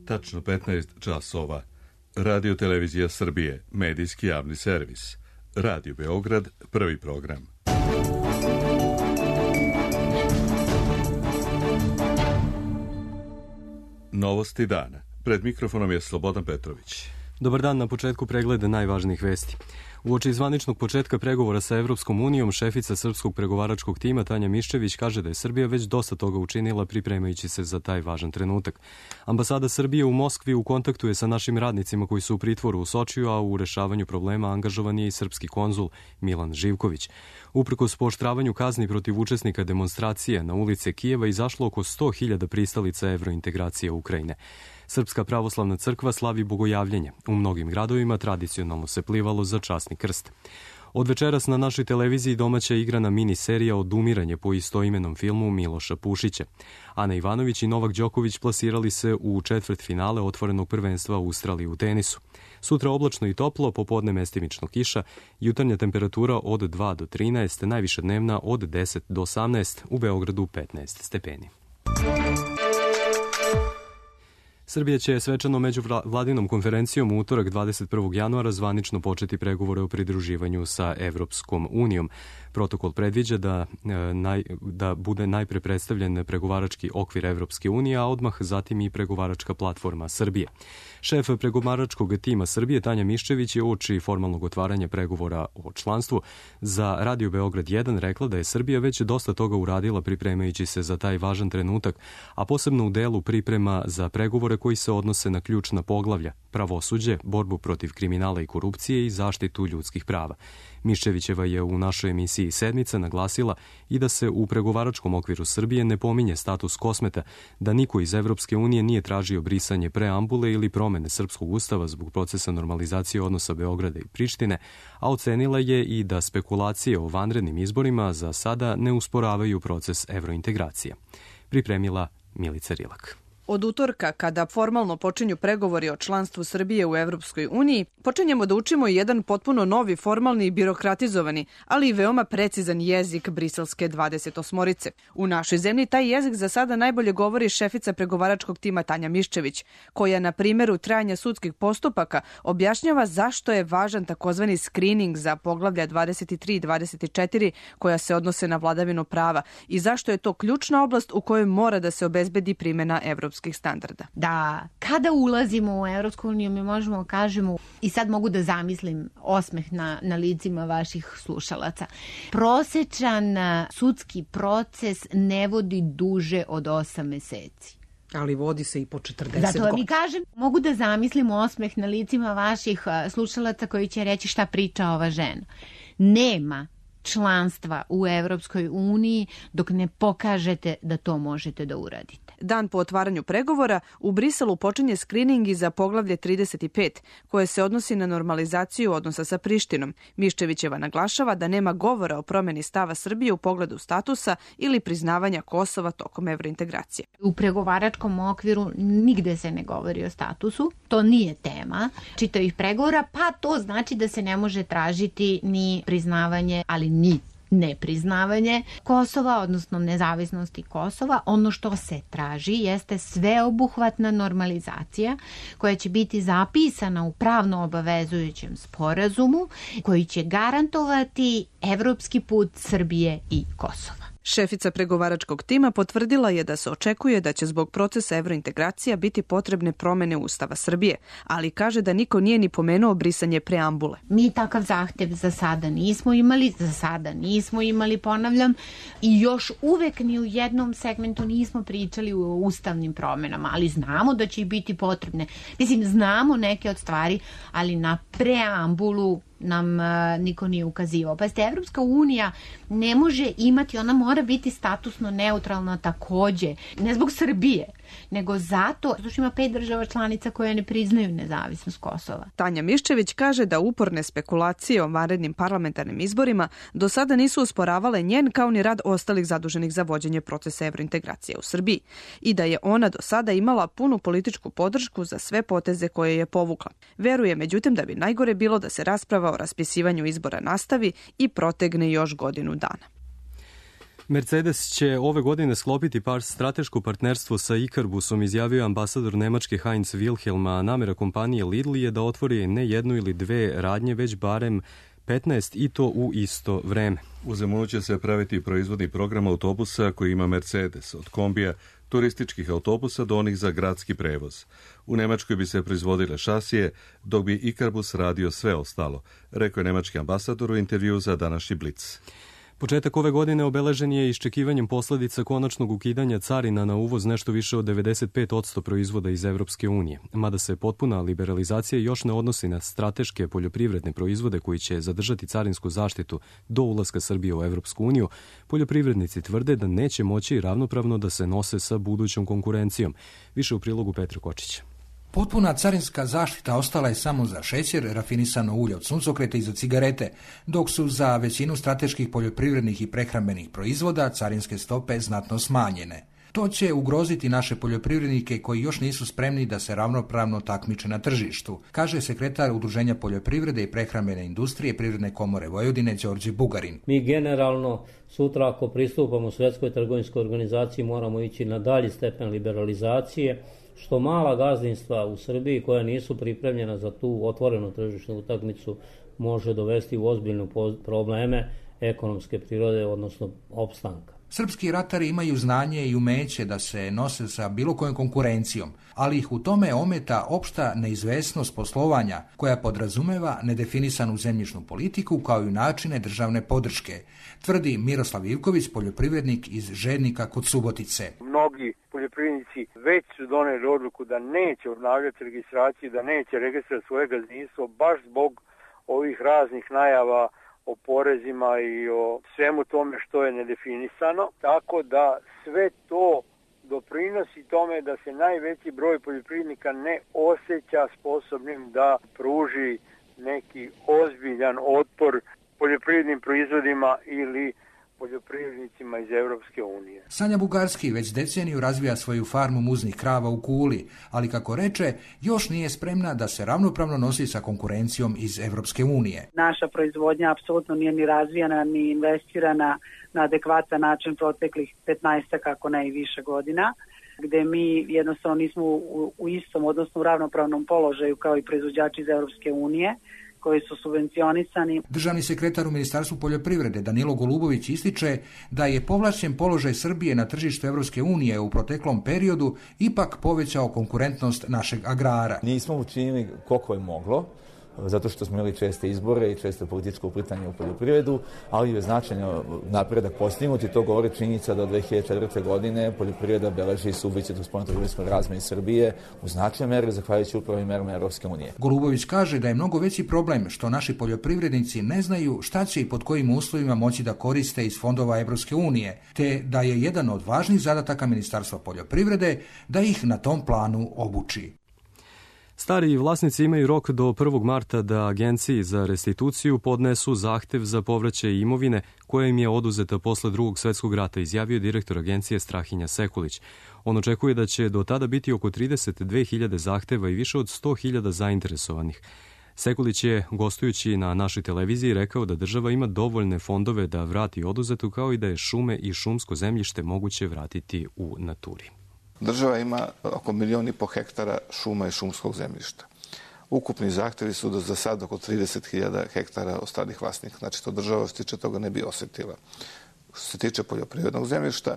tačno 15 časova. Radio Televizija Srbije, medijski javni servis. Radio Beograd, prvi program. Novosti dana. Pred mikrofonom je Slobodan Petrović. Dobar dan, na početku pregleda najvažnijih vesti. Uoči zvaničnog početka pregovora sa Evropskom unijom, šefica srpskog pregovaračkog tima Tanja Miščević kaže da je Srbija već dosta toga učinila pripremajući se za taj važan trenutak. Ambasada Srbije u Moskvi u kontaktu je sa našim radnicima koji su u pritvoru u Sočiju, a u rešavanju problema angažovan je i srpski konzul Milan Živković. Uprkos pooštravanju kazni protiv učesnika demonstracije na ulice Kijeva izašlo oko 100.000 pristalica evrointegracije Ukrajine. Srpska pravoslavna crkva slavi bogojavljenje. U mnogim gradovima tradicionalno se plivalo za časni krst. Od večeras na našoj televiziji domaća igrana mini-serija Odumiranje po istoimenom filmu Miloša Pušića. Ana Ivanović i Novak Đoković plasirali se u četvrtfinale otvorenog prvenstva Australije u tenisu. Sutra oblačno i toplo, popodne mestimično kiša, jutarnja temperatura od 2 do 13, najviša dnevna od 10 do 18, u Beogradu 15 stepeni. Srbija će svečano međuvladinom konferencijom u utorak 21. januara zvanično početi pregovore o pridruživanju sa Evropskom unijom. Protokol predviđa da bude najpre predstavljen pregovarački okvir Evropske unije, a odmah zatim i pregovaračka platforma Srbije. Šef pregovaračkog tima Srbije Tanja Miščević je uoči formalnog otvaranja pregovora o članstvu za Radio Beograd 1 rekla da je Srbija već dosta toga uradila pripremajući se za taj važan trenutak, a posebno u delu priprema za pregovore koji se odnose na ključna poglavlja, pravosuđe, borbu protiv kriminala i korupcije i zaštitu ljudskih prava. Miščevićeva je u našoj emisiji Sedmica naglasila i da se u pregovaračkom okviru Srbije ne pominje status kosmeta, da niko iz Evropske unije nije tražio brisanje preambule ili promene srpskog ustava zbog procesa normalizacije odnosa Beograda i Prištine, a ocenila je i da spekulacije o vanrednim izborima za sada ne usporavaju proces evrointegracije. Pripremila Milica Rilak. Od utorka, kada formalno počinju pregovori o članstvu Srbije u Evropskoj uniji, počinjemo da učimo jedan potpuno novi, formalni i birokratizovani, ali i veoma precizan jezik briselske 28-orice. U našoj zemlji taj jezik za sada najbolje govori šefica pregovaračkog tima Tanja Miščević, koja na primjeru trajanja sudskih postupaka objašnjava zašto je važan takozvani screening za poglavlja 23 i 24 koja se odnose na vladavinu prava i zašto je to ključna oblast u kojoj mora da se obezbedi primjena evropskih standarda. Da, kada ulazimo u Evropsku uniju mi možemo kažemo, i sad mogu da zamislim osmeh na licima vaših slušalaca, prosečan sudski proces ne vodi duže od 8 meseci. Ali vodi se i po 40 godina. Zato mi kažem, mogu da zamislim osmeh na licima vaših slušalaca koji će reći šta priča ova žena. Nema članstva u Evropskoj uniji dok ne pokažete da to možete da uradite. Dan po otvaranju pregovora u Briselu počinje skrining i za poglavlje 35, koje se odnosi na normalizaciju odnosa sa Prištinom. Miščevićeva naglašava da nema govora o promjeni stava Srbije u pogledu statusa ili priznavanja Kosova tokom evrointegracije. U pregovaračkom okviru nigde se ne govori o statusu, to nije tema čitavih pregovora, pa to znači da se ne može tražiti ni priznavanje, ali ni nepriznavanje Kosova, odnosno nezavisnosti Kosova. Ono što se traži jeste sveobuhvatna normalizacija koja će biti zapisana u pravno obavezujućem sporazumu koji će garantovati evropski put Srbije i Kosova. Šefica pregovaračkog tima potvrdila je da se očekuje da će zbog procesa evrointegracija biti potrebne promene Ustava Srbije, ali kaže da niko nije ni pomenuo brisanje preambule. Mi takav zahtev za sada nismo imali, ponavljam, i još uvek ni u jednom segmentu nismo pričali o ustavnim promenama, ali znamo da će ih biti potrebne. Mislim, znamo neke od stvari, ali na preambulu nam niko nije ukazivao. Pa ste, Evropska unija ne može imati, ona mora biti statusno neutralna takođe, ne zbog Srbije, nego zato što ima 5 država članica koje ne priznaju nezavisnost Kosova. Tanja Miščević kaže da uporne spekulacije o vanrednim parlamentarnim izborima do sada nisu usporavale njen kao ni rad ostalih zaduženih za vođenje procesa evrointegracije u Srbiji i da je ona do sada imala punu političku podršku za sve poteze koje je povukla. Veruje međutim da bi najgore bilo da se rasprava o raspisivanju izbora nastavi i protegne još godinu dana. Mercedes će ove godine sklopiti strateško partnerstvo sa Ikarbusom, izjavio ambasador Nemačke Heinz Wilhelm, a namera kompanije Lidl je da otvori ne jednu ili dve radnje, već barem 15 i to u isto vreme. U Zemunu će se praviti proizvodni program autobusa koji ima Mercedes, od kombija, turističkih autobusa do onih za gradski prevoz. U Nemačkoj bi se proizvodile šasije, dok bi Ikarbus radio sve ostalo, rekao je nemački ambasador u intervju za današnji Blic. Početak ove godine obeležen je iščekivanjem posledica konačnog ukidanja carina na uvoz nešto više od 95% proizvoda iz Evropske unije. Mada se potpuna liberalizacija još ne odnosi na strateške poljoprivredne proizvode koji će zadržati carinsku zaštitu do ulaska Srbije u Evropsku uniju, poljoprivrednici tvrde da neće moći ravnopravno da se nose sa budućom konkurencijom. Više u prilogu Petra Kočića. Potpuna carinska zaštita ostala je samo za šećer, rafinisano ulje od suncokreta i za cigarete, dok su za većinu strateških poljoprivrednih i prehrambenih proizvoda carinske stope znatno smanjene. To će ugroziti naše poljoprivrednike koji još nisu spremni da se ravnopravno takmiče na tržištu, kaže sekretar Udruženja poljoprivrede i prehrambene industrije Privredne komore Vojvodine Đorđe Bugarin. Mi generalno sutra ako pristupamo Svjetskoj trgovinskoj organizaciji moramo ići na dalji stepen liberalizacije, što mala gazdinstva u Srbiji koja nisu pripremljena za tu otvorenu tržišnu utakmicu može dovesti u ozbiljne probleme ekonomske prirode, odnosno opstanka. Srpski ratari imaju znanje i umeće da se nose sa bilo kojom konkurencijom, ali ih u tome ometa opšta neizvesnost poslovanja koja podrazumeva nedefinisanu zemljišnu politiku kao i načine državne podrške, tvrdi Miroslav Ivković, poljoprivrednik iz Žednika kod Subotice. Mnogi poljoprivrednici već su doneli odluku da neće obnavljati registraciju, da neće registrirati svoje gazdinstvo baš zbog ovih raznih najava o porezima i o svemu tome što je nedefinisano, tako da sve to doprinosi tome da se najveći broj poljoprivrednika ne osjeća sposobnim da pruži neki ozbiljan otpor poljoprivrednim proizvodima ili poljoprivrednicima iz Evropske unije. Sanja Bugarski već deceniju razvija svoju farmu muznih krava u Kuli, ali kako reče, još nije spremna da se ravnopravno nosi sa konkurencijom iz Evropske unije. Naša proizvodnja apsolutno nije ni razvijena, ni investirana na adekvatan način proteklih 15, ako ne i više godina, gde mi jednostavno nismo u istom, odnosno u ravnopravnom položaju kao i proizvođači iz Evropske unije, koji su subvencionisani. Državni sekretar u Ministarstvu poljoprivrede Danilo Golubović ističe da je povlašćen položaj Srbije na tržištu Evropske unije u proteklom periodu ipak povećao konkurentnost našeg agrara. Nismo učinili koliko je moglo, zato što smo imali česte izbore i često političko uplitanje u poljoprivredu, ali je značajno napredak postignut i to govori činjenica da od 2004. godine poljoprivreda beleži suficit u spoljnotrgovinskoj razmeni Srbije u značajnoj meri zahvaljujući upravo i merama Evropske unije. Golubović kaže da je mnogo veći problem što naši poljoprivrednici ne znaju šta će i pod kojim uslovima moći da koriste iz fondova Evropske unije, te da je jedan od važnih zadataka Ministarstva poljoprivrede da ih na tom planu obuči. Stari vlasnici imaju rok do 1. marta da Agenciji za restituciju podnesu zahtev za povraćaj imovine koja im je oduzeta posle Drugog svetskog rata, izjavio direktor agencije Strahinja Sekulić. On očekuje da će do tada biti oko 32.000 zahteva i više od 100.000 zainteresovanih. Sekulić je, gostujući na našoj televiziji, rekao da država ima dovoljne fondove da vrati oduzetu, kao i da je šume i šumsko zemljište moguće vratiti u naturi. Država ima oko 1,5 miliona hektara šuma i šumskog zemljišta. Ukupni zahtevi su da za sad oko 30.000 hektara ostalih vlasnika. Znači, to država što se tiče toga ne bi osjetila. Što se tiče poljoprivrednog zemljišta,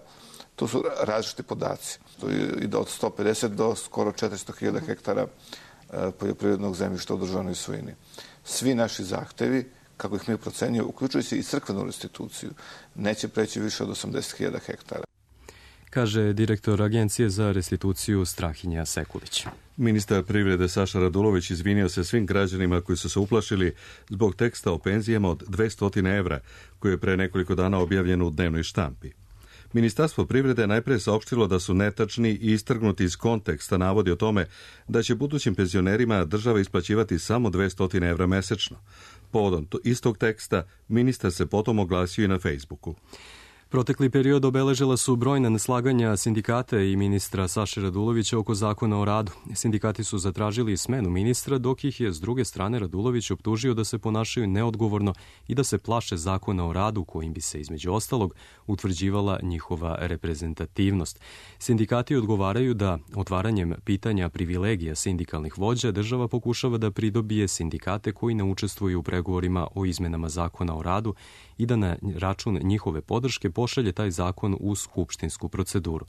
tu su različiti podaci. To ide od 150 do skoro 400.000 hektara poljoprivrednog zemljišta u državnoj svojini. Svi naši zahtevi, kako ih mi procenjuju, uključujući i crkvenu restituciju, neće preći više od 80.000 hektara, kaže direktor Agencije za restituciju Strahinja Sekulić. Ministar privrede Saša Radulović izvinio se svim građanima koji su se uplašili zbog teksta o penzijama od 200 evra, koji je pre nekoliko dana objavljen u dnevnoj štampi. Ministarstvo privrede najpre saopštilo da su netačni i istrgnuti iz konteksta navodi o tome da će budućim penzionerima država isplaćivati samo 200 evra mesečno. Povodom istog teksta ministar se potom oglasio i na Facebooku. Protekli period obeležila su brojna neslaganja sindikata i ministra Saše Radulovića oko zakona o radu. Sindikati su zatražili smenu ministra, dok ih je s druge strane Radulović optužio da se ponašaju neodgovorno i da se plaše zakona o radu kojim bi se između ostalog utvrđivala njihova reprezentativnost. Sindikati odgovaraju da otvaranjem pitanja privilegija sindikalnih vođa država pokušava da pridobije sindikate koji ne učestvuju u pregovorima o izmenama zakona o radu i da na račun njihove podrške pošalje taj zakon u skupštinsku proceduru.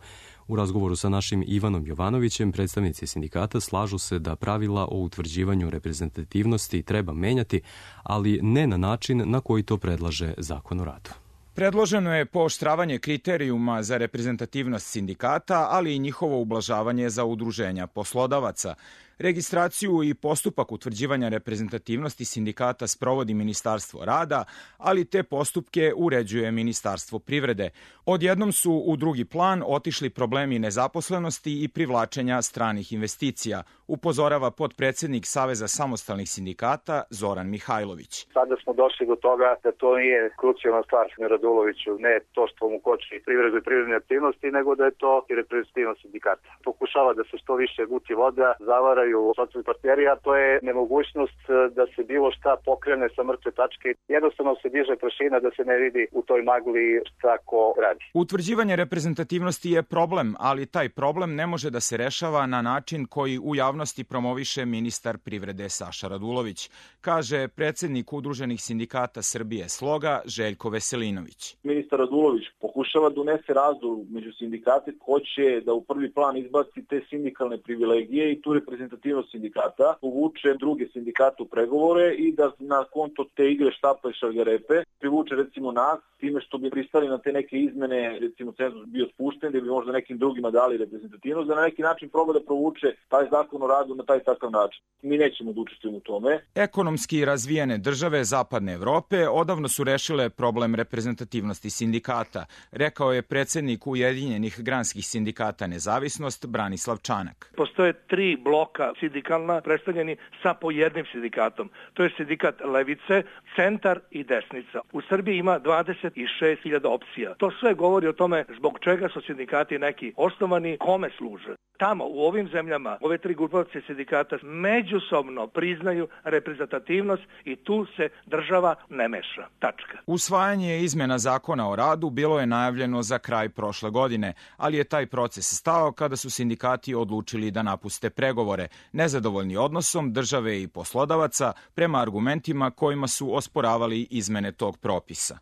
U razgovoru sa našim Ivanom Jovanovićem, predstavnici sindikata slažu se da pravila o utvrđivanju reprezentativnosti treba menjati, ali ne na način na koji to predlaže zakon o radu. Predloženo je pooštravanje kriterijuma za reprezentativnost sindikata, ali i njihovo ublažavanje za udruženja poslodavaca. Registraciju i postupak utvrđivanja reprezentativnosti sindikata sprovodi Ministarstvo rada, ali te postupke uređuje Ministarstvo privrede. Odjednom su u drugi plan otišli problemi nezaposlenosti i privlačenja stranih investicija, upozorava potpredsednik Saveza samostalnih sindikata Zoran Mihajlović. Sada smo došli do toga da to nije krucijalna stvar Raduloviću, ne to što mu koči privredu i privredne aktivnosti, nego da je to i reprezentativnost sindikata. Pokušava da se što više guti voda, zavaraju socijalni partneri, a to je nemogućnost da se bilo šta pokrene sa mrtve tačke. Jednostavno se diže prašina da se ne vidi u toj magli šta ko radi. Utvrđivanje reprezentativnosti je problem, ali taj problem ne može da se rešava na način koji u javnosti promoviše ministar privrede Saša Radulović, kaže predsednik Udruženih sindikata Srbije Sloga Željko Veselinović. Ministar Radulović pokušava da unese razdor među sindikate, hoće da u prvi plan izbaci te sindikalne privilegije i tu reprezentativnost sindikata, povuče druge sindikate u pregovore i da na konto te igre štapa i šargarepe privuče recimo nas, time što bi pristali na te neke izmene, recimo cenzus bio spušten, da bi možda nekim drugima dali reprezentativnost, da na neki način proba da provuče taj zakon o radu na taj takav način. Mi nećemo da učestvujemo u tome. Ekonomski razvijene države Zapadne Evrope odavno su rešile problem reprezentativnosti sindikata, rekao je predsednik Ujedinjenih granskih sindikata Nezavisnost Branislav Čanak. Postoje 3 bloka sindikalna predstavljeni sa po jednim sindikatom. To je sindikat levice, centar i desnica. U Srbiji ima 26.000 opcija. To sve govori o tome zbog čega su sindikati neki osnovani, kome služe. Tamo, u ovim zemljama, ove 3 grupacije sindikata međusobno priznaju reprezentativnost i tu se država ne meša. Tačka. Usvajanje izmena zakona o radu bilo je najavljeno za kraj prošle godine, ali je taj proces stao kada su sindikati odlučili da napuste pregovore, nezadovoljni odnosom države i poslodavaca prema argumentima kojima su osporavali izmene tog propisa.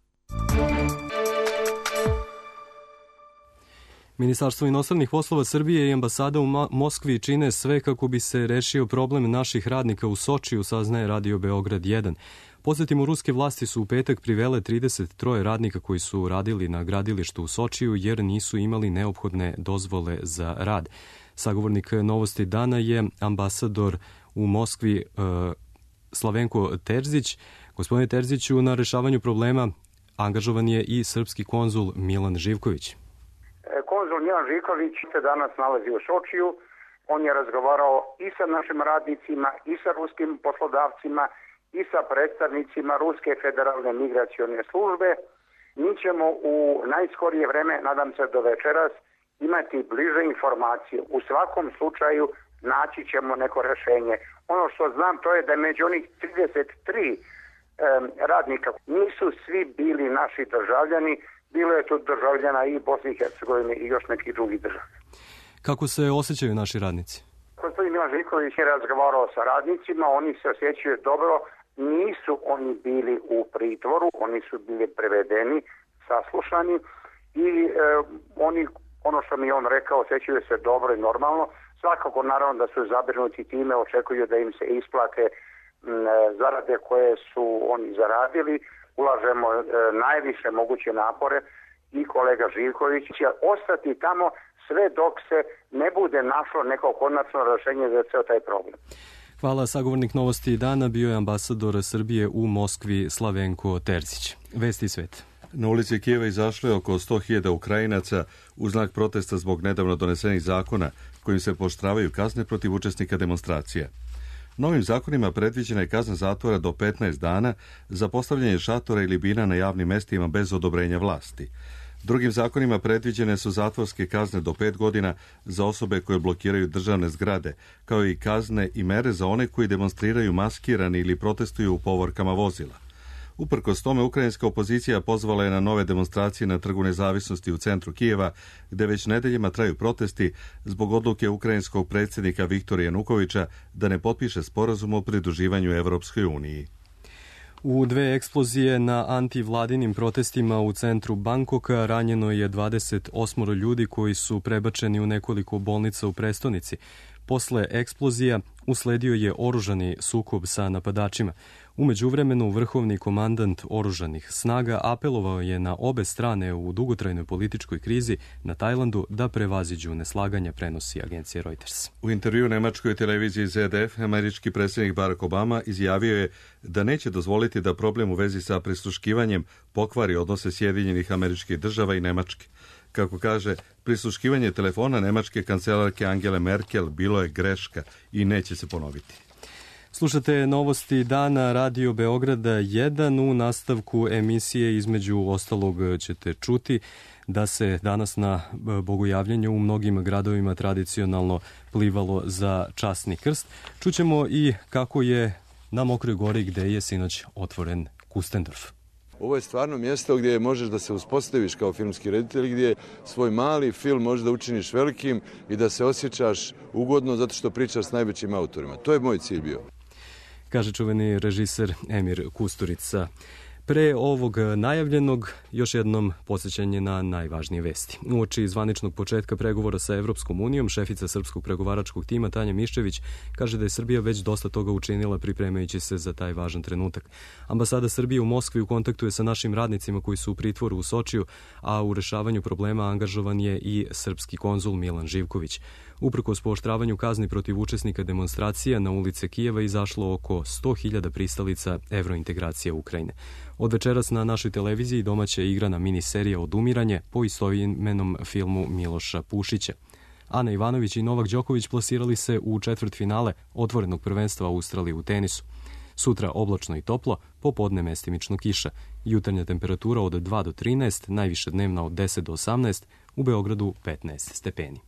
Ministarstvo inostranih poslova Srbije i ambasada u Moskvi čine sve kako bi se rešio problem naših radnika u Sočiju, saznaje Radio Beograd 1. Podsjetimo, ruske vlasti su u petak privele 33 radnika koji su radili na gradilištu u Sočiju jer nisu imali neophodne dozvole za rad. Sagovornik Novosti dana je ambasador u Moskvi Slavenko Terzić. Gospodine Terziću, na rešavanju problema angažovan je i srpski konzul Milan Živković. Konzul Milan Živković se danas nalazi u Sočiju. On je razgovarao i sa našim radnicima, i sa ruskim poslodavcima, i sa predstavnicima Ruske federalne migracione službe. Mi ćemo u najskorije vreme, nadam se do večeras, imati bliže informacije. U svakom slučaju naći ćemo neko rešenje. Ono što znam to je da među onih 33 radnika nisu svi bili naši državljani, bilo je tu državljana i Bosne i Hercegovine i još nekih drugih država. Kako se osjećaju naši radnici? Gospodin Milan Živković je razgovarao sa radnicima, oni se osjećaju dobro, nisu oni bili u pritvoru, oni su bili prevedeni, saslušani i oni, ono što mi on rekao, osjećaju se dobro i normalno. Svakako naravno da su zabrinuti time, očekuju da im se isplate zarade koje su oni zaradili. Ulažemo najviše moguće napore i kolega Živković će ostati tamo sve dok se ne bude našlo neko konačno rešenje za ceo taj problem. Hvala. Sagovornik Novosti dana bio je ambasador Srbije u Moskvi Slavenko Terzić. Vesti svet. Na ulici Kijeva izašlo je oko 100.000 Ukrajinaca u znak protesta zbog nedavno donesenih zakona kojim se pooštravaju kazne protiv učesnika demonstracija. Novim zakonima predviđena je kazna zatvora do 15 dana za postavljanje šatora ili bina na javnim mestima bez odobrenja vlasti. Drugim zakonima predviđene su zatvorske kazne do 5 godina za osobe koje blokiraju državne zgrade, kao i kazne i mere za one koji demonstriraju maskirani ili protestuju u povorkama vozila. Uprkos tome, ukrajinska opozicija pozvala je na nove demonstracije na Trgu nezavisnosti u centru Kijeva, gde već nedeljima traju protesti zbog odluke ukrajinskog predsjednika Viktora Janukovića da ne potpiše sporazum o pridruživanju Evropskoj uniji. U 2 eksplozije na antivladinim protestima u centru Bangkoka ranjeno je 28 ljudi koji su prebačeni u nekoliko bolnica u prestonici. Posle eksplozija usledio je oružani sukob sa napadačima. U međuvremenu, vrhovni komandant oružanih snaga apelovao je na obe strane u dugotrajnoj političkoj krizi na Tajlandu da prevaziđu neslaganja, prenosi agencija Reuters. U intervju nemačkoj televiziji ZDF, američki predsjednik Barack Obama izjavio je da neće dozvoliti da problem u vezi sa prisluškivanjem pokvari odnose Sjedinjenih Američkih Država i Nemačke. Kako kaže, prisluškivanje telefona nemačke kancelarke Angele Merkel bilo je greška i neće se ponoviti. Slušate novosti dana Radio Beograda 1. U nastavku emisije između ostalog ćete čuti da se danas na bogojavljanju u mnogim gradovima tradicionalno plivalo za časni krst. Čućemo i kako je na Mokroj Gori gde je sinoć otvoren Kustendorf. Ovo je stvarno mjesto gdje možeš da se uspostaviš kao filmski reditelj, gdje svoj mali film možeš da učiniš velikim i da se osjećaš ugodno zato što pričaš s najvećim autorima. To je moj cilj bio. Kaže čuveni režiser Emir Kusturica. Pre ovog najavljenog, još jednom podsjećanje na najvažnije vesti. Uoči zvaničnog početka pregovora sa Evropskom unijom, šefica srpskog pregovaračkog tima Tanja Miščević kaže da je Srbija već dosta toga učinila pripremajući se za taj važan trenutak. Ambasada Srbije u Moskvi u kontaktu je sa našim radnicima koji su u pritvoru u Sočiju, a u rešavanju problema angažovan je i srpski konzul Milan Živković. Uprkos pooštravanju kazni protiv učesnika demonstracija na ulice Kijeva izašlo oko 100.000 pristalica evrointegracije Ukrajine. Od večeras na našoj televiziji domaća je igrana miniserija Odumiranje po istoimenom filmu Miloša Pušića. Ana Ivanović i Novak Đoković plasirali se u četvrtfinale otvorenog prvenstva Australije u tenisu. Sutra oblačno i toplo, popodne mestimično kiša. Jutarnja temperatura od 2 do 13, najviše dnevna od 10 do 18, u Beogradu 15 stepeni.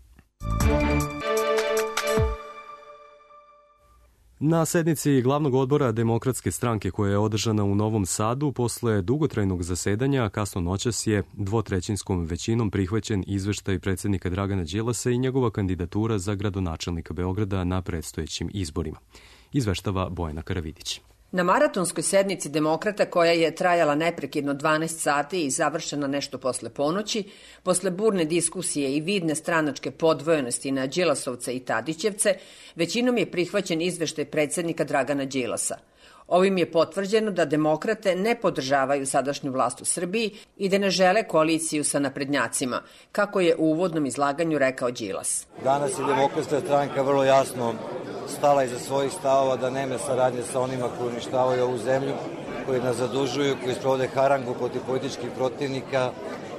Na sednici glavnog odbora Demokratske stranke koja je održana u Novom Sadu posle dugotrajnog zasedanja kasno noćas je dvotrećinskom većinom prihvaćen izveštaj predsjednika Dragana Đilasa i njegova kandidatura za gradonačelnika Beograda na predstojećim izborima. Izveštava Bojana Karavidić. Na maratonskoj sednici Demokrata, koja je trajala neprekidno 12 sati i završena nešto posle ponoći, posle burne diskusije i vidne stranačke podvojenosti na Đilasovce i Tadićevce, većinom je prihvaćen izveštaj predsjednika Dragana Đilasa. Ovim je potvrđeno da Demokrate ne podržavaju sadašnju vlast u Srbiji i da ne žele koaliciju sa naprednjacima, kako je u uvodnom izlaganju rekao Đilas. Danas je Demokratska stranka vrlo jasno stala iza svojih stavova da nema saradnje sa onima koji uništavaju ovu zemlju, koji nas zadužuju, koji sprovode harangu protiv političkih protivnika,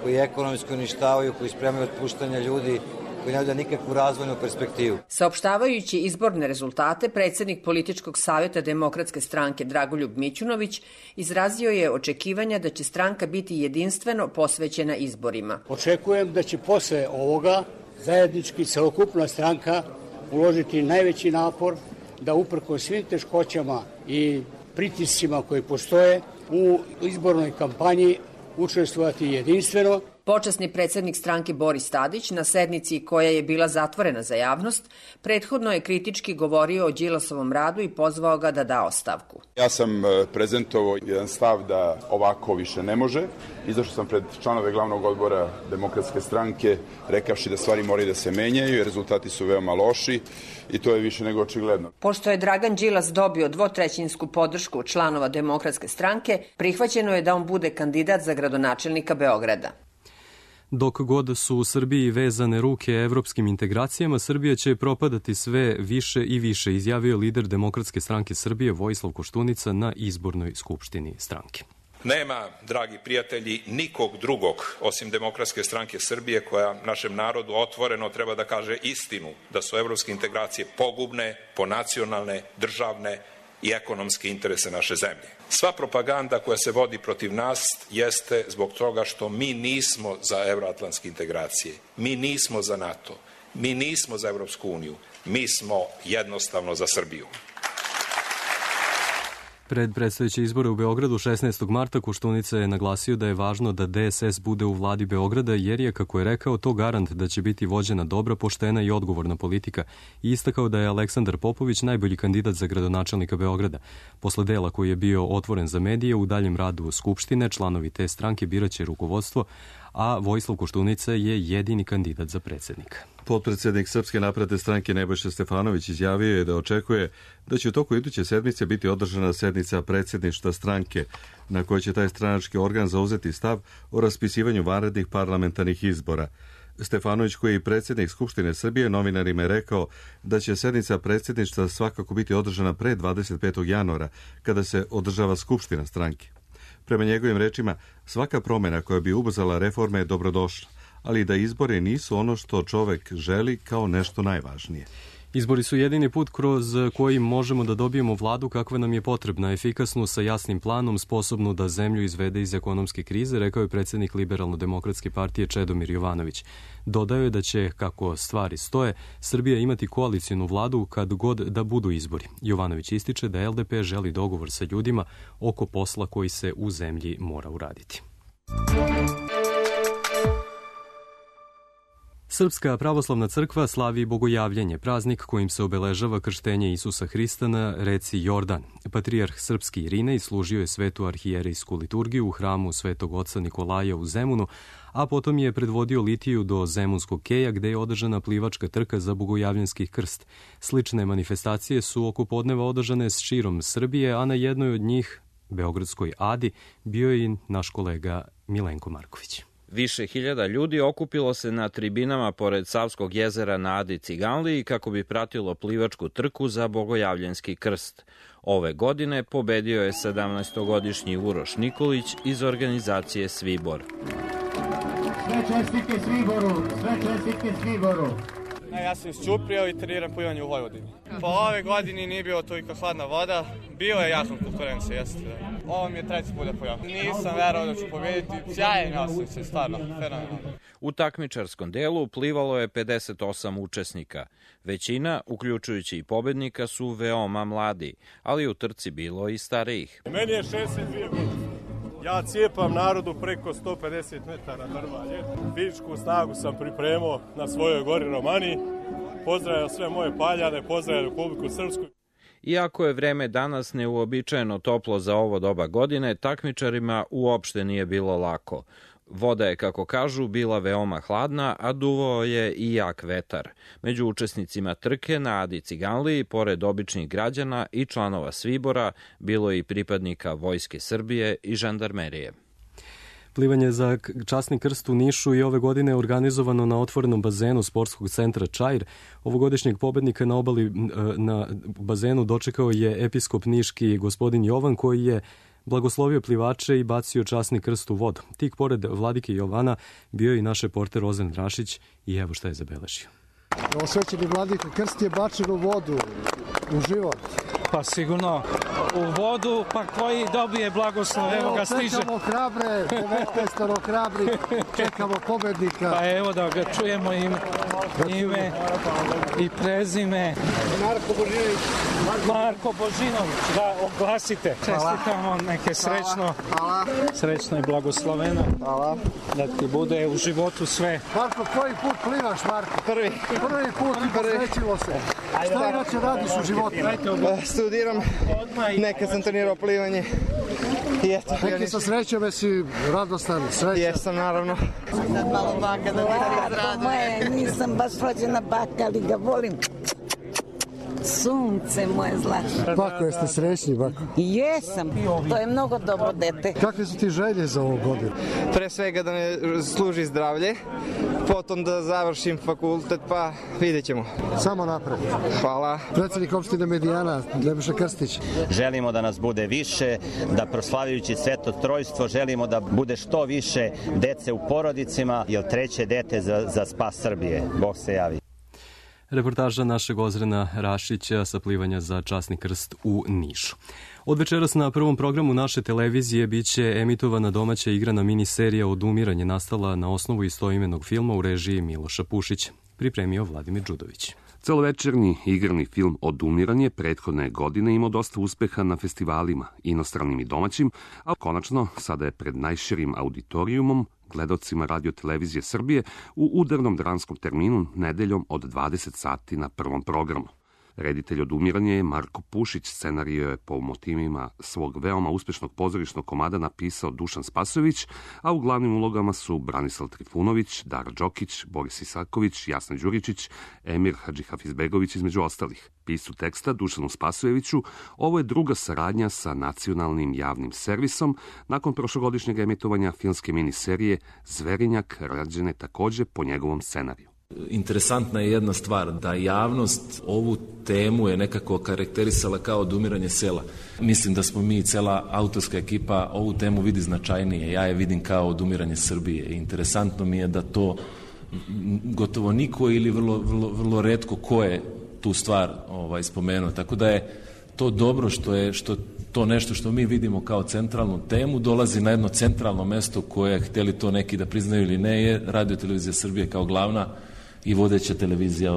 koji ekonomski uništavaju, koji spremaju otpuštanja ljudi, koji ne vide nikakvu razvojnu perspektivu. Saopštavajući izborne rezultate, predsjednik političkog savjeta Demokratske stranke Dragoljub Mićunović izrazio je očekivanja da će stranka biti jedinstveno posvećena izborima. Očekujem da će posle ovoga zajednički celokupna stranka uložiti najveći napor da uprkos svim teškoćama i pritiscima koji postoje u izbornoj kampanji učestvovati jedinstveno. Počasni predsjednik stranke Boris Tadić na sednici koja je bila zatvorena za javnost, prethodno je kritički govorio o Đilasovom radu i pozvao ga da da ostavku. Ja sam prezentovao jedan stav da ovako više ne može. Izašao sam pred članove glavnog odbora Demokratske stranke rekavši da stvari moraju da se menjaju i rezultati su veoma loši i to je više nego očigledno. Pošto je Dragan Đilas dobio dvotrećinsku podršku članova Demokratske stranke, prihvaćeno je da on bude kandidat za gradonačelnika Beograda. Dok god su u Srbiji vezane ruke evropskim integracijama, Srbija će propadati sve više i više, izjavio lider Demokratske stranke Srbije Vojislav Koštunica na izbornoj skupštini stranke. Nema, dragi prijatelji, nikog drugog osim Demokratske stranke Srbije koja našem narodu otvoreno treba da kaže istinu da su evropske integracije pogubne, ponacionalne, državne i ekonomske interese naše zemlje. Sva propaganda koja se vodi protiv nas jeste zbog toga što mi nismo za evroatlantske integracije, mi nismo za NATO, mi nismo za Evropsku uniju, mi smo jednostavno za Srbiju. Pred predstojeće izbore u Beogradu 16. marta Koštunica je naglasio da je važno da DSS bude u vladi Beograda jer je, kako je rekao, to garant da će biti vođena dobra, poštena i odgovorna politika i istakao da je Aleksandar Popović najbolji kandidat za gradonačelnika Beograda. Posle dela koji je bio otvoren za medije, u daljem radu Skupštine članovi te stranke biraće rukovodstvo, a Vojislav Koštunica je jedini kandidat za predsjednika. Potpredsjednik Srpske napredne stranke Nebojša Stefanović izjavio je da očekuje da će u toku iduće sedmice biti održana sednica predsjedništva stranke na kojoj će taj stranački organ zauzeti stav o raspisivanju vanrednih parlamentarnih izbora. Stefanović, koji je i predsjednik Skupštine Srbije, novinarima je rekao da će sednica predsjedništva svakako biti održana pre 25. januara, kada se održava Skupština stranke. Prema njegovim rečima, svaka promjena koja bi ubrzala reforme je dobrodošla, ali da izbori nisu ono što čovek želi kao nešto najvažnije. Izbori su jedini put kroz koji možemo da dobijemo vladu kakva nam je potrebna, efikasnu, sa jasnim planom, sposobnu da zemlju izvede iz ekonomske krize, rekao je predsjednik Liberalno-demokratske partije Čedomir Jovanović. Dodao je da će, kako stvari stoje, Srbija imati koalicijnu vladu kad god da budu izbori. Jovanović ističe da LDP želi dogovor sa ljudima oko posla koji se u zemlji mora uraditi. Srpska pravoslavna crkva slavi Bogojavljenje, praznik kojim se obeležava krštenje Isusa Hrista na reci Jordan. Patrijarh srpski Irinej služio je svetu arhijerejsku liturgiju u hramu Svetog oca Nikolaja u Zemunu, a potom je predvodio litiju do Zemunskog keja gde je održana plivačka trka za Bogojavljanski krst. Slične manifestacije su oko podneva održane širom Srbije, a na jednoj od njih, Beogradskoj Adi, bio je i naš kolega Milenko Marković. Više hiljada ljudi okupilo se na tribinama pored Savskog jezera na Adi Ciganliji kako bi pratilo plivačku trku za Bogojavljanski krst. Ove godine pobedio je 17-godišnji Uroš Nikolić iz organizacije Svibor. Sve čestike Sviboru, sve čestike Sviboru. Ja sam iz Ćuprija i treniram plivanje u Vojvodini. Po ove godini nije bilo toliko hladna voda, bilo je jasna konkurencija, jeste. Ovo mi je treći put da pojavim. Nisam verovao da ću pobediti, sjajan ja sam se, stvarno, fenomenalno. U takmičarskom delu plivalo je 58 učesnika. Većina, uključujući i pobednika, su veoma mladi, ali u trci bilo i starijih. Meni je 62 godine. Ja cijepam narodu preko 150 metara drvalje. Fizičku snagu sam pripremao na svojoj gori Romani. Pozdravljam sve moje paljane, pozdravljam Republiku Srpsku. Iako je vreme danas neuobičajeno toplo za ovo doba godine, takmičarima uopšte nije bilo lako. Voda je, kako kažu, bila veoma hladna, a duvao je i jak vetar. Među učesnicima trke na Adi Ciganliji, pored običnih građana i članova Svibora, bilo je i pripadnika Vojske Srbije i žandarmerije. Plivanje za časni krst u Nišu i ove godine je organizovano na otvorenom bazenu sportskog centra Čair. Ovogodišnjeg pobednika na obali na bazenu dočekao je episkop niški gospodin Jovan, koji je blagoslovio plivače i bacio časni krst u vodu. Tik pored vladike Jovana bio je i naš reporter Rozen Rašić i evo šta je zabeležio. Osvećeni vladika, krst je bačen u vodu, u život. Pa sigurno u vodu, pa koji dobije blagoslov, evo ga stiže. Čekamo hrabre, 19 hrabri, čekamo pobednika. Pa evo da ga čujemo ime i prezime. Marko Božinović, da oglasite. Čestitamo, neke srećno i blagosloveno. Hvala. Da ti bude u životu sve. Marko, koji put plivaš, Marko? Prvi put i posrećilo se. Šta inače radiš u životu? Studiram, nekad sam trenirao plivanje. Neki sa srećom, jesi radostan, srećan? Jesam, naravno. Sad malo baka da ti izradujem. Nisam baš rođena baka, ali ga volim. Sunce moje zlato. Bako, jeste srećni, Bako? Jesam, to je mnogo dobro dete. Kakve su ti želje za ovu godinu? Pre svega da me služi zdravlje, potom da završim fakultet, pa vidjet ćemo. Samo napred. Hvala. Predsjednik opštine Medijana, Nebojša Krstić. Želimo da nas bude više, da proslavljajući Sveto Trojstvo želimo da bude što više dece u porodicima, jer treće dete za spas Srbije. Bog se javi. Reportaža našeg Ozrena Rašića sa plivanja za časni krst u Nišu. Od večeras na prvom programu naše televizije biće emitovana domaća igrana miniserija Odumiranje, nastala na osnovu istoimenog filma u režiji Miloša Pušića. Pripremio Vladimir Đudović. Celovečernji igrani film Odumiranje prethodne godine imao dosta uspeha na festivalima, inostranim i domaćim, a konačno sada je pred najširim auditorijumom, gledalcima Radio-televizije Srbije, u udarnom dramskom terminu nedeljom od 20 sati na prvom programu. Reditelj Odumiranje je Marko Pušić, scenario je po motivima svog veoma uspešnog pozorišnog komada napisao Dušan Spasojević, a u glavnim ulogama su Branislav Trifunović, Dara Đokić, Boris Isaković, Jasna Đuričić, Emir Hadžihafizbegović između ostalih. Piscu teksta Dušanu Spasojeviću ovo je druga saradnja sa nacionalnim javnim servisom nakon prošlogodišnjeg emitovanja filmske miniserije Zverinjak, rađene takođe po njegovom scenariju. Interesantna je jedna stvar, da javnost ovu temu je nekako karakterisala kao odumiranje sela. Mislim da smo mi, cela autorska ekipa, ovu temu vidi značajnije. Ja je vidim kao odumiranje Srbije. Interesantno mi je da to gotovo niko ili vrlo retko ko je tu stvar spomenuo. Tako da je to dobro što to nešto što mi vidimo kao centralnu temu dolazi na jedno centralno mesto koje, hteli to neki da priznaju ili ne, je Radio-televizija Srbije kao glavna i vodeća televizija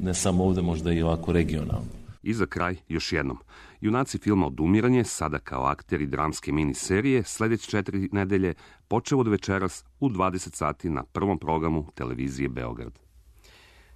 ne samo ovde, možda i ovako regionalno. I za kraj još jednom. Junaci filma Odumiranje, sada kao akteri dramske miniserije, sledeće 4 nedelje, počeo od večeras u 20 sati na prvom programu televizije Beograd.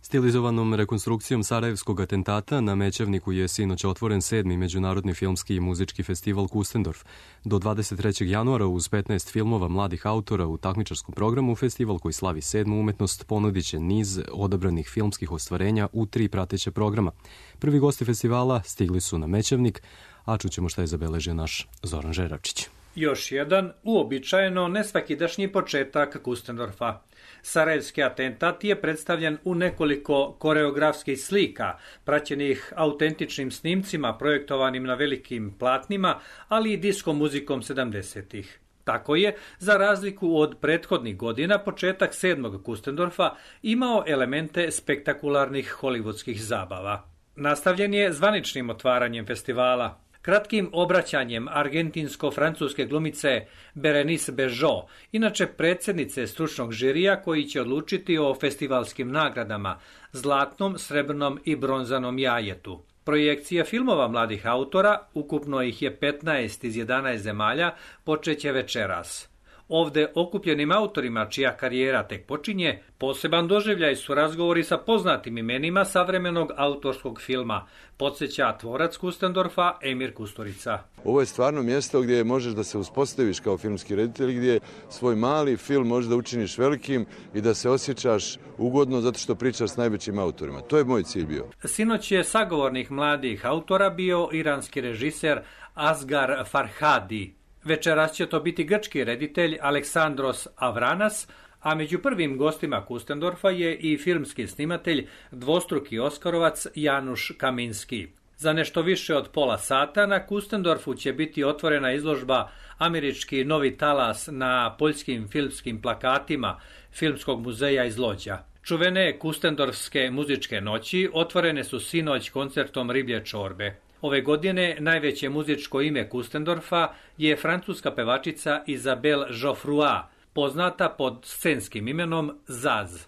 Stilizovanom rekonstrukcijom Sarajevskog atentata na Mećavniku je sinoć otvoren 7. Međunarodni filmski i muzički festival Kustendorf. Do 23. januara uz 15 filmova mladih autora u takmičarskom programu festival koji slavi 7. umetnost ponudit će niz odabranih filmskih ostvarenja u 3 prateća programa. Prvi gosti festivala stigli su na Mećavnik, a čućemo šta je zabeležio naš Zoran Žeravčić. Još jedan, uobičajeno nesvakidašnji početak Kustendorfa. Sarajevski atentat je predstavljen u nekoliko koreografskih slika, praćenih autentičnim snimcima projektovanim na velikim platnima, ali i disko muzikom 70-ih. Tako je, za razliku od prethodnih godina, početak 7. Kustendorfa imao elemente spektakularnih hollywoodskih zabava. Nastavljen je zvaničnim otvaranjem festivala. Kratkim obraćanjem argentinsko-francuske glumice Berenice Bežo, inače predsjednice stručnog žirija koji će odlučiti o festivalskim nagradama, zlatnom, srebrnom i bronzanom jajetu. Projekcija filmova mladih autora, ukupno ih je 15 iz 11 zemalja, počeće večeras. Ovde okupljenim autorima, čija karijera tek počinje, poseban doživljaj su razgovori sa poznatim imenima savremenog autorskog filma, podsjeća tvorac Kustendorfa Emir Kusturica. Ovo je stvarno mjesto gdje možeš da se uspostaviš kao filmski reditelj, gdje svoj mali film možeš da učiniš velikim i da se osjećaš ugodno zato što pričaš s najvećim autorima. To je moj cilj bio. Sinoć je sagovornik mladih autora bio iranski režiser Asghar Farhadi. Večeras će to biti grčki reditelj Aleksandros Avranas, a među prvim gostima Kustendorfa je i filmski snimatelj, dvostruki Oskarovac Januš Kaminski. Za nešto više od pola sata na Kustendorfu će biti otvorena izložba Američki novi talas na poljskim filmskim plakatima Filmskog muzeja iz Lođa. Čuvene Kustendorfske muzičke noći otvorene su sinoć koncertom Riblje čorbe. Ove godine najveće muzičko ime Kustendorfa je francuska pevačica Isabelle Geoffroy, poznata pod scenskim imenom Zaz.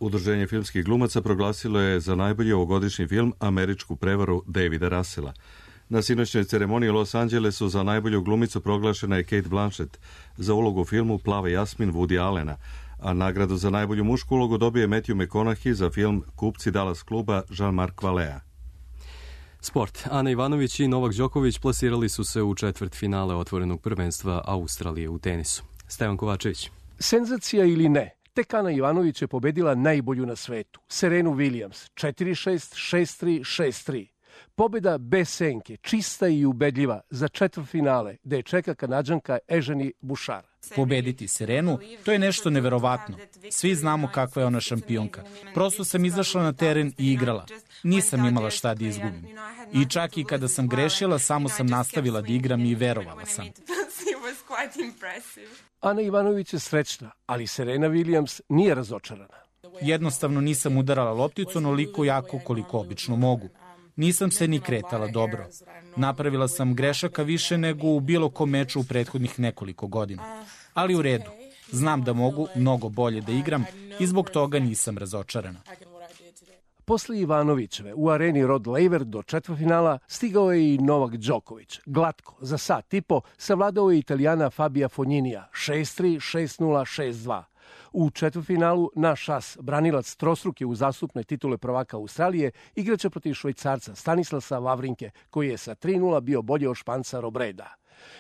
Udruženje filmskih glumaca proglasilo je za najbolji ovogodišnji film Američku prevaru Davida Russella. Na sinoćnoj ceremoniji u Los Angelesu za najbolju glumicu proglašena je Kate Blanchett za ulogu u filmu Plava Jasmin Woody Allena, a nagradu za najbolju mušku ulogu dobije Matthew McConaughey za film Kupci Dallas kluba Jean-Marc Valea. Sport. Ana Ivanović i Novak Đoković plasirali su se u četvrtfinale otvorenog prvenstva Australije u tenisu. Stevan Kovačević. Senzacija ili ne, tek Ana Ivanović je pobedila najbolju na svetu, Serenu Williams, 4-6, 6-3, 6-3. Pobjeda bez senke, čista i ubedljiva za četvrtfinale, gde je čeka Kanađanka Eženi Bušar. Pobediti Serenu, to je nešto neverovatno. Svi znamo kakva je ona šampionka. Prosto sam izašla na teren i igrala. Nisam imala šta da izgubim. I čak i kada sam grešila, samo sam nastavila da igram i verovala sam. Ana Ivanović je srećna, ali Serena Williams nije razočarana. Jednostavno nisam udarala lopticu onoliko jako koliko obično mogu. Nisam se ni kretala dobro. Napravila sam grešaka više nego u bilo kom meču u prethodnih nekoliko godina. Ali u redu. Znam da mogu mnogo bolje da igram i zbog toga nisam razočarana. Posle Ivanovićeve u areni Rod Laver do četvrtfinala stigao je i Novak Đoković. Glatko, za sat i po, savladao je Italijana Fabija Fogninija 6-3, 6-0, 6-2. U četvrtfinalu naš as, branilac trostruke uzastupne titule prvaka Australije, igraće protiv Švajcarca Stanislasa Wawrinke, koji je sa 3-0 bio bolji od Španca Robreda.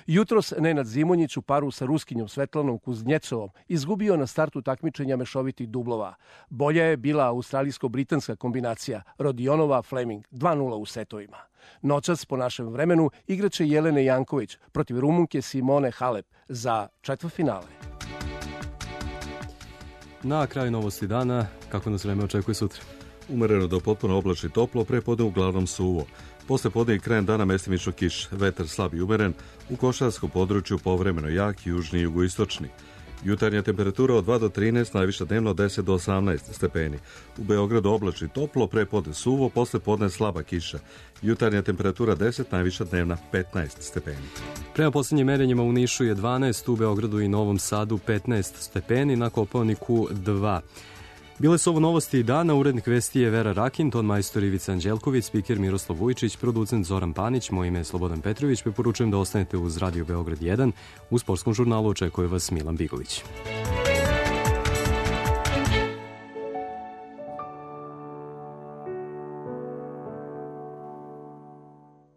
Jutros Nenad Zimonjić u paru sa Ruskinjom Svetlanom Kuznjecovom izgubio na startu takmičenja mešovitih dublova. Bolja je bila australijsko-britanska kombinacija Rodionova-Fleming 2-0 u setovima. Noćas po našem vremenu igraće Jelene Janković protiv Rumunke Simone Halep za četvrtfinale. Na kraju novosti dana, kako nas vreme očekuje sutra? Umereno do potpuno oblačno i toplo, prepodne uglavnom suvo. Posle podne i krajem dana mestimično kiš, vetar slab i umeren, u košarskom području povremeno jak, južni i jugoistočni. Jutarnja temperatura od 2 do 13, najviša dnevno od 10 do 18 stepeni. U Beogradu oblačno i toplo, prepodne suvo, posle podne slaba kiša. Jutarnja temperatura 10, najviša dnevna 15 stepeni. Prema posljednjim merenjima u Nišu je 12, u Beogradu i Novom Sadu 15 stepeni, na Kopaoniku 2. Bile su ovo novosti dana, urednik vesti je Vera Rakin, ton majstor Ivica Anđelković, spiker Miroslav Vujčić, producent Zoran Panić, moje ime je Slobodan Petrović, preporučujem da ostanete uz Radio Beograd 1. U sportskom žurnalu očekuje vas Milan Bigović.